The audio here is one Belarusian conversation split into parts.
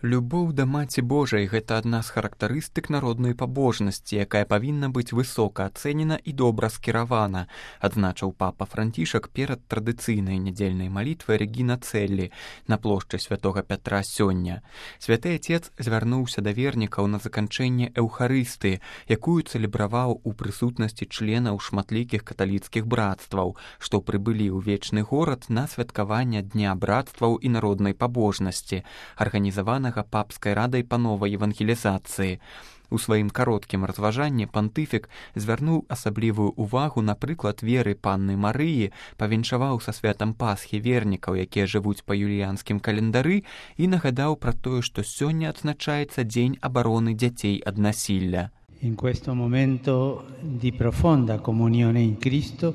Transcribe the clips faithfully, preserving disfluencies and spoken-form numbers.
Любоў да Маці Божай – гэта адна з характарыстык народнай пабожнасці, якая павінна быць высока ацэнена і добра скіравана, адзначыў папа Францішак перад традыцыйнай нядзельнай малітвай Рэгіна Цэллі на плошчы святога Пятра сёння. Святы Отец звярнуўся да вернікаў на заканчэнне эўхарыстыі, якую цэлебраваў у прысутнасці членаў шматлікіх каталіцкіх брацтваў, што прыбылі ў вечны горад на святкаванне Дня брацтваў і народнай пабожнасці, арганізаванага папскай радай па новай евангелізацыі. У сваім кароткім разважанні пантыфік звярнуў асаблівую ўвагу на прыклад веры панны Марыі, павіншаваў са святам Пасхі вернікаў, якія жывуць па юліянскім календары, і нагадаў пра тое, што сёння адзначаецца дзень абароны дзяцей ад насілля. In questo momento di profonda comunione in Cristo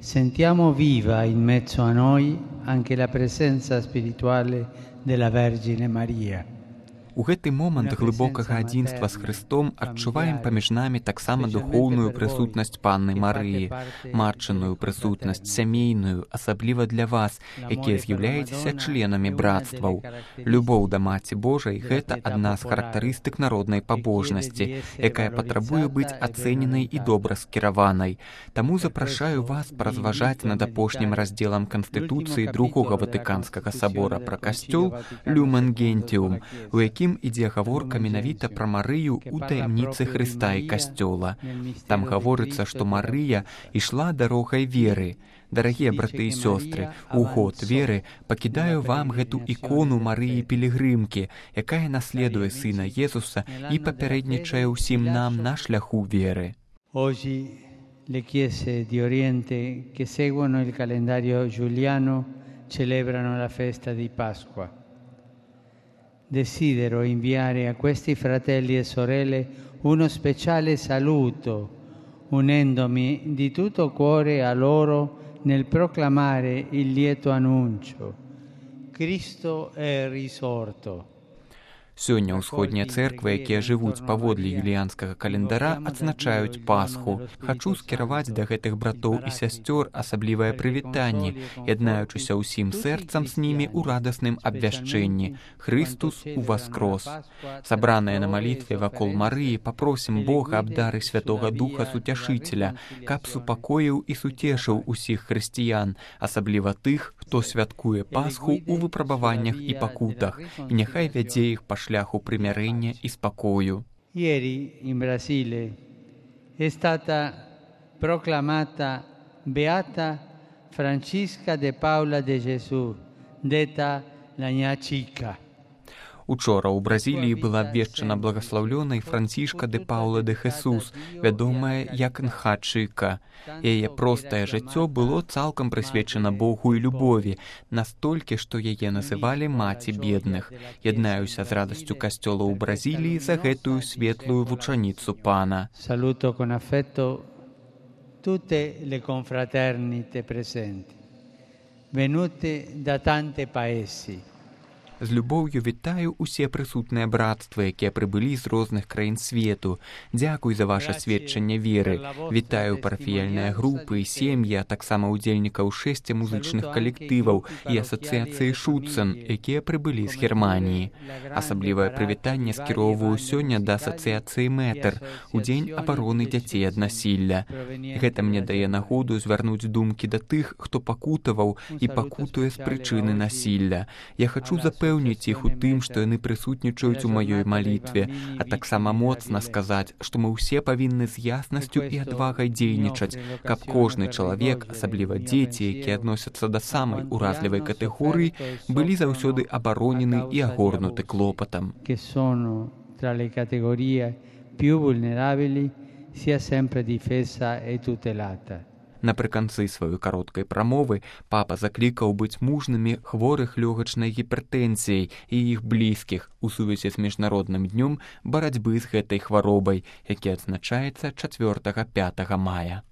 sentiamo viva in mezzo a noi anche la presenza spirituale della Vergine Maria. У гэты момант глыбокага адзінства з Христом адчуваем паміж намі таксама духоўную прысутнасць панны Марыі, матчыную прысутнасць сямейную, асабліва для вас, якія з'яўляецеся членамі брацтваў. Любоў да Маці Божай – гэта адна з характарыстык народнай пабожнасці, якая патрабуе быць ацэненай і добра скіраванай. Таму запрашаю вас паразважаць над апошнім раздзелам Канстытуцыі Другога Ватыканскага сабора пра касцёл «Люмен Гентиум», у якім ідзе гаворка менавіта пра Марыю ў таямніцы Хрыста і касцёла. Там гаворыцца, што Марыя ішла дарогай веры. Дарагія браты і сёстры, у год веры пакідаю вам гэту ікону Марыі Пілігрымкі, якая наследуе сына Езуса і папярэднічае ўсім нам на шляху веры. Oggi le chiese di Oriente che seguono il calendario giuliano celebrano la festa di Pasqua. Desidero inviare a questi fratelli e sorelle uno speciale saluto, unendomi di tutto cuore a loro nel proclamare il lieto annuncio. Cristo è risorto. Сёння ўсходнія цэрквы, якія жывуць паводле юліянскага календара, адзначаюць Пасху. Хачу скіраваць да гэтых братоў і сясцёр асаблівае прывітанне, яднаючыся ўсім сэрцам з імі ў радасным абвяшчэнні. Христус уваскрос. Сабраныя на малітве вакол Марыі, папросім Бога аб дары Святога Духа Суцяшыцеля, каб супакоіў і суцешыў усіх хрысціян, асабліва тых, хто святкуе Пасху ў выпрабаваннях і пакутах, і няхай вядзе іх па шляху примирення і спокою. Ieri in Brasile è stata proclamata Beata Francisca de Paula de Gesù, detta la Ña Chica. Учора ў Бразіліі была абвешчана благаслаўлёнай Францішка де Паула де Хесус, вядомая як Нха Чыка. Яе простае жыццё было цалкам прысвечана Богу і любові, настолькі, што яе называлі маці бедных. Яднаюся з радасцю касцёла ў Бразіліі за гэтую светлую вучаніцу пана. Saluto con affetto tutte le confraternite presenti, venute da tanti paesi. З любоўю вітаю усе прысутныя брацтвы, якія прыбылі з розных краін свету. Дзякуй за ваше сведчанне веры. Вітаю парафіяльныя групы і сем'і, а таксама ўдзельнікаў шэсці музычных калектываў і асацыяцыі Шуцен, якія прыбылі з Германіі. Асаблівае прывітанне скіроўваю сёння да асацыяцыі Мэтр у дзень абароны дзяцей ад насілля. Гэта мне дае нагоду звярнуць думкі да тых, хто пакутаваў і пакутуе з прычыны насілля. Я хачу запэўніць Пэўніць іх у тым, што яны прысутнічаюць у маёй малітве, а таксама моцна сказаць, што мы ўсе павінны з яснасцю і адвагай дзейнічаць, каб кожны чалавек, асабліва дзеці, якія адносяцца да самай уразлівай катэгорыі, былі заўсёды абаронены і агорнуты клопатам. Que sono tra le categorie più vulnerabili sia sempre difesa e tutelata. Напрыканцы сваёй кароткай прамовы папа заклікаў быць мужнымі хворых лёгачнай гіпертэнзіяй і іх блізкіх у сувязі з міжнародным днём барацьбы з гэтай хваробай, які адзначаецца чацвёртага-пятага мая.